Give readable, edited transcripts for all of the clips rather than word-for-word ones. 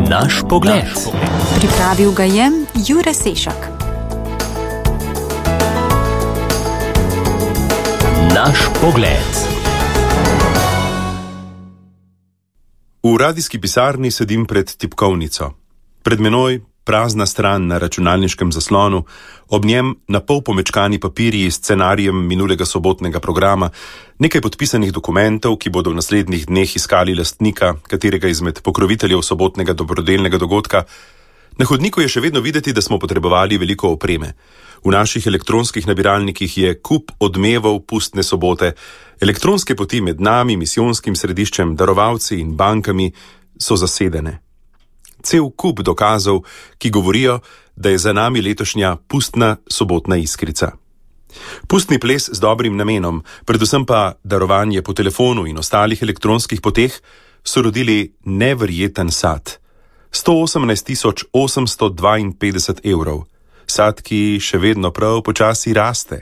Naš pogled. Pripravil ga je Jure Sešak. Naš pogled. V radijski pisarni sedim pred tipkovnico. Pred menoj prazna stran na računalniškem zaslonu, ob njem na pol pomečkani papirji s scenarijem minulega sobotnega programa, nekaj podpisanih dokumentov, ki bodo v naslednjih dneh iskali lastnika katerega izmed pokroviteljev sobotnega dobrodelnega dogodka. Na hodniku je še vedno videti, da smo potrebovali veliko opreme. V naših elektronskih nabiralnikih je kup odmevov pustne sobote. Elektronske poti med nami, misijonskim središčem, darovalci in bankami so zasedene. Cel kup dokazov, ki govorijo, da je za nami letošnja pustna sobotna iskrica. Pustni ples z dobrim namenom, predvsem pa darovanje po telefonu in ostalih elektronskih poteh, so rodili neverjeten sad. 118.852 evrov. Sad, ki še vedno prav počasi raste.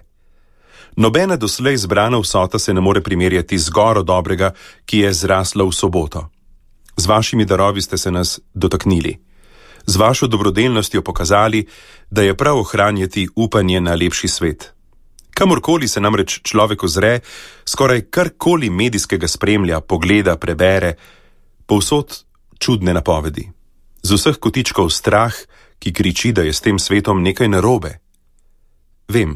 Nobena doslej zbrana vsota se ne more primerjati z goro dobrega, ki je zrasla v soboto. Z vašimi darovi ste se nas dotaknili. Z vašo dobrodelnostjo pokazali, da je prav ohranjati upanje na lepši svet. Kamorkoli se namreč človek ozre, skoraj karkoli medijskega spremlja, pogleda, prebere, povsod čudne napovedi. Z vseh kotičkov strah, ki kriči, da je s tem svetom nekaj narobe. Vem,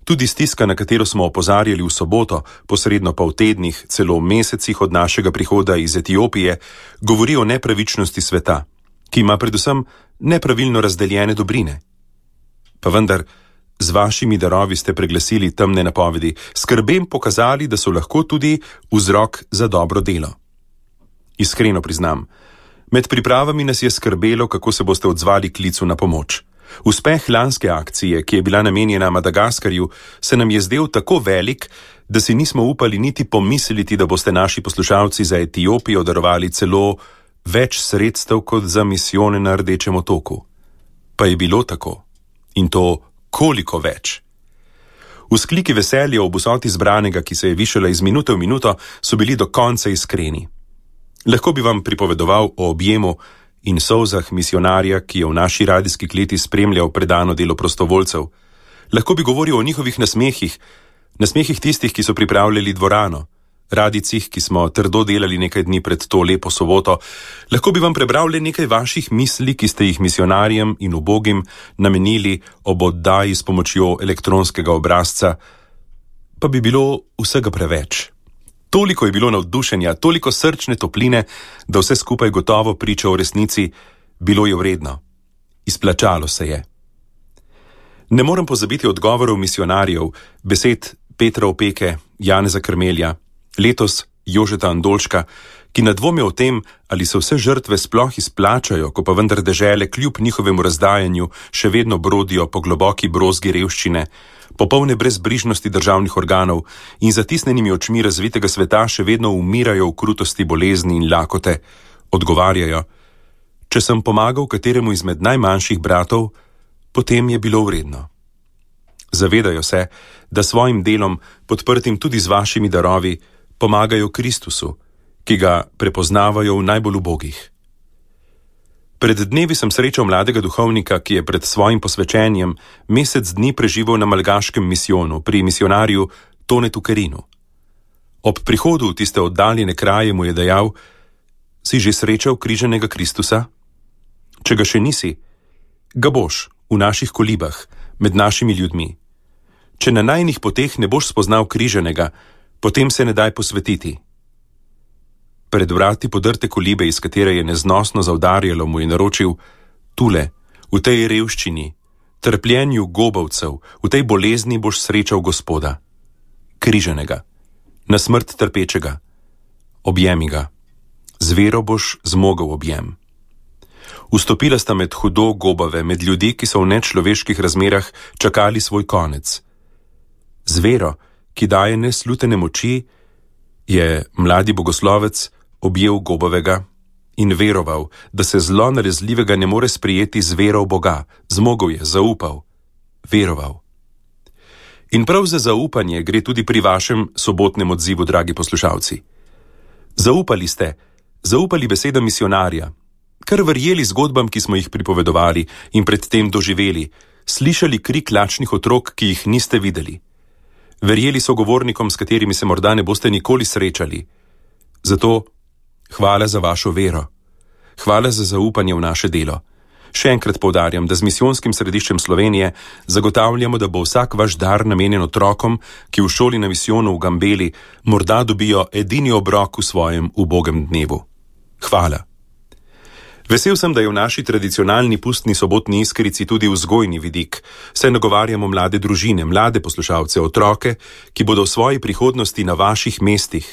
tudi stiska, na katero smo opozarjali v soboto, posredno pa v tednih, celo v mesecih od našega prihoda iz Etiopije, govori o nepravičnosti sveta, ki ima predvsem nepravilno razdeljene dobrine. Pa vendar, z vašimi darovi ste preglasili temne napovedi, skrbem pokazali, da so lahko tudi vzrok za dobro delo. Iskreno priznam, med pripravami nas je skrbelo, kako se boste odzvali klicu na pomoč. Uspeh lanske akcije, ki je bila namenjena Madagaskarju, se nam je zdel tako velik, da si nismo upali niti pomisliti, da boste naši poslušalci za Etiopijo darovali celo več sredstev kot za misijone na Rdečem otoku. Pa je bilo tako. In to koliko več. Vzkliki veselja ob vsoti zbranega, ki se je višala iz minute v minuto, so bili do konca iskreni. Lahko bi vam pripovedoval o objemu in solzah misionarja, ki je v naši radijski kleti spremljal predano delo prostovoljcev. Lahko bi govoril o njihovih nasmehih tistih, ki so pripravljali dvorano, radicih, ki smo trdo delali nekaj dni pred to lepo soboto. Lahko bi vam prebral le nekaj vaših misli, ki ste jih misionarjem in ubogim namenili ob oddaji s pomočjo elektronskega obrazca, pa bi bilo vsega preveč. Toliko je bilo navdušenja, toliko srčne topline, da vse skupaj gotovo priča o resnici, bilo je vredno. Izplačalo se je. Ne morem pozabiti odgovorov misionarjev, besed Petra Opeke, Janeza Krmelja, letos Jožeta Andolška, ki ne dvomijo o tem, ali se vse žrtve sploh izplačajo, ko pa vendar dežele kljub njihovemu razdajanju še vedno brodijo po globoki brozgi revščine, popolne brezbrižnosti državnih organov in zatisnenimi očmi razvitega sveta še vedno umirajo v krutosti bolezni in lakote, odgovarjajo: če sem pomagal kateremu izmed najmanjših bratov, potem je bilo vredno. Zavedajo se, da svojim delom, podprtim tudi z vašimi darovi, pomagajo Kristusu, ki ga prepoznavajo v najbolj ubogih. Pred dnevi sem srečal mladega duhovnika, ki je pred svojim posvečenjem mesec dni preživel na malgaškem misijonu pri misionarju Tonetu Kerinu. Ob prihodu v tiste oddaljene kraje mu je dejal: si že srečal križanega Kristusa? Če ga še nisi, ga boš v naših kolibah, med našimi ljudmi. Če na najnih poteh ne boš spoznal križanega, potem se ne daj posvetiti. Pred vrati podrte kolibe, iz katere je neznosno zaudarjalo, mu je naročil: tule, v tej revščini, trpljenju gobavcev, v tej bolezni boš srečal Gospoda. Križanega, na smrt trpečega. Objemi ga. Z vero boš zmogel objem. Vstopila sta med hudo gobave, med ljudi, ki so v nečloveških razmerah čakali svoj konec. Z vero, ki daje neslutene moči, je mladi bogoslovec objel gobavega in veroval, da se zlo nalezljivega ne more sprijeti z vero v Boga. Zmogel je, zaupal, veroval. In prav za zaupanje gre tudi pri vašem sobotnem odzivu, dragi poslušalci. Zaupali ste, zaupali besedam misionarja, kar verjeli zgodbam, ki smo jih pripovedovali in predtem doživeli, slišali krik lačnih otrok, ki jih niste videli. Verjeli sogovornikom, s katerimi se morda ne boste nikoli srečali. Zato hvala za vašo vero. Hvala za zaupanje v naše delo. Še enkrat poudarjam, da z misijonskim središčem Slovenije zagotavljamo, da bo vsak vaš dar namenjen otrokom, ki v šoli na misijonu v Gambeli morda dobijo edini obrok v svojem ubogem dnevu. Hvala. Vesel sem, da je v naši tradicionalni pustni sobotni iskrici tudi vzgojni vidik, saj nagovarjamo mlade družine, mlade poslušalce, otroke, ki bodo v svoji prihodnosti na vaših mestih.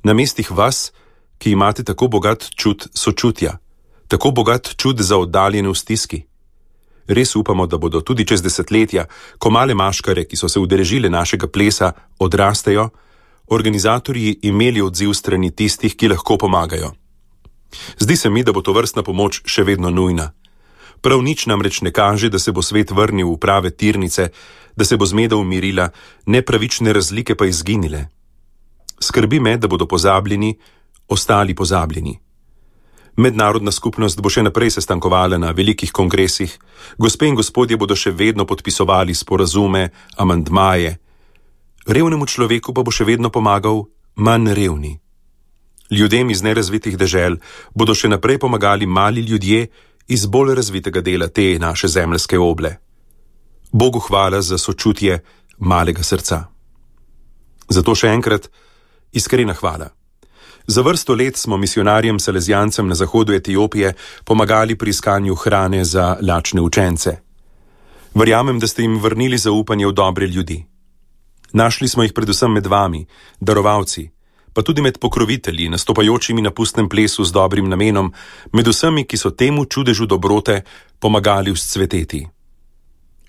Na mestih vas, ki imate tako bogat čut sočutja, tako bogat čut za oddaljene v stiski. Res upamo, da bodo tudi čez desetletja, ko male maškare, ki so se udeležile našega plesa, odrastejo, organizatorji imeli odziv strani tistih, ki lahko pomagajo. Zdi se mi, da bo tovrstna pomoč še vedno nujna. Prav nič namreč ne kaže, da se bo svet vrnil v prave tirnice, da se bo zmeda umirila, nepravične razlike pa izginile. Skrbi me, da bodo pozabljeni, ostali pozabljeni. Mednarodna skupnost bo še naprej sestankovala na velikih kongresih, gospe in gospodje bodo še vedno podpisovali sporazume, amandmaje. Revnemu človeku pa bo še vedno pomagal manj revni. Ljudem iz nerazvitih dežel bodo še naprej pomagali mali ljudje iz bolj razvitega dela te naše zemeljske oble. Bogu hvala za sočutje malega srca. Zato še enkrat iskrena hvala. Za vrsto let smo misionarjem salezijancem na zahodu Etiopije pomagali pri iskanju hrane za lačne učence. Verjamem, da ste jim vrnili zaupanje v dobre ljudi. Našli smo jih predvsem med vami, darovalci, pa tudi med pokrovitelji, nastopajočimi na pustnem plesu z dobrim namenom, med vsemi, ki so temu čudežu dobrote pomagali vzcveteti.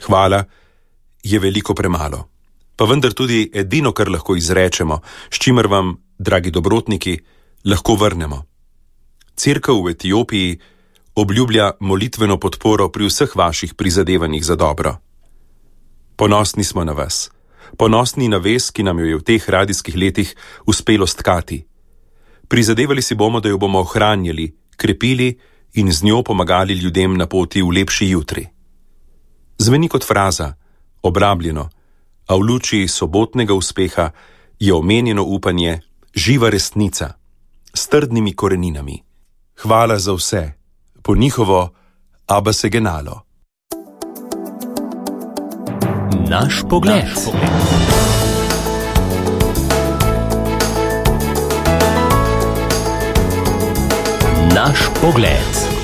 Hvala je veliko premalo, pa vendar tudi edino, kar lahko izrečemo, s čimer vam, dragi dobrotniki, lahko vrnemo. Cerkev v Etiopiji obljublja molitveno podporo pri vseh vaših prizadevanjih za dobro. Ponosni smo na vas. Ponosni na vez, ki nam jo je v teh radijskih letih uspelo stkati. Prizadevali si bomo, da jo bomo ohranjali, krepili in z njo pomagali ljudem na poti v lepši jutri. Zveni kot fraza, obrabljeno, a v luči sobotnega uspeha je omenjeno upanje živa resnica s trdnimi koreninami. Hvala za vse, po njihovo Abba se genalo. Naš pogled. Naš pogled.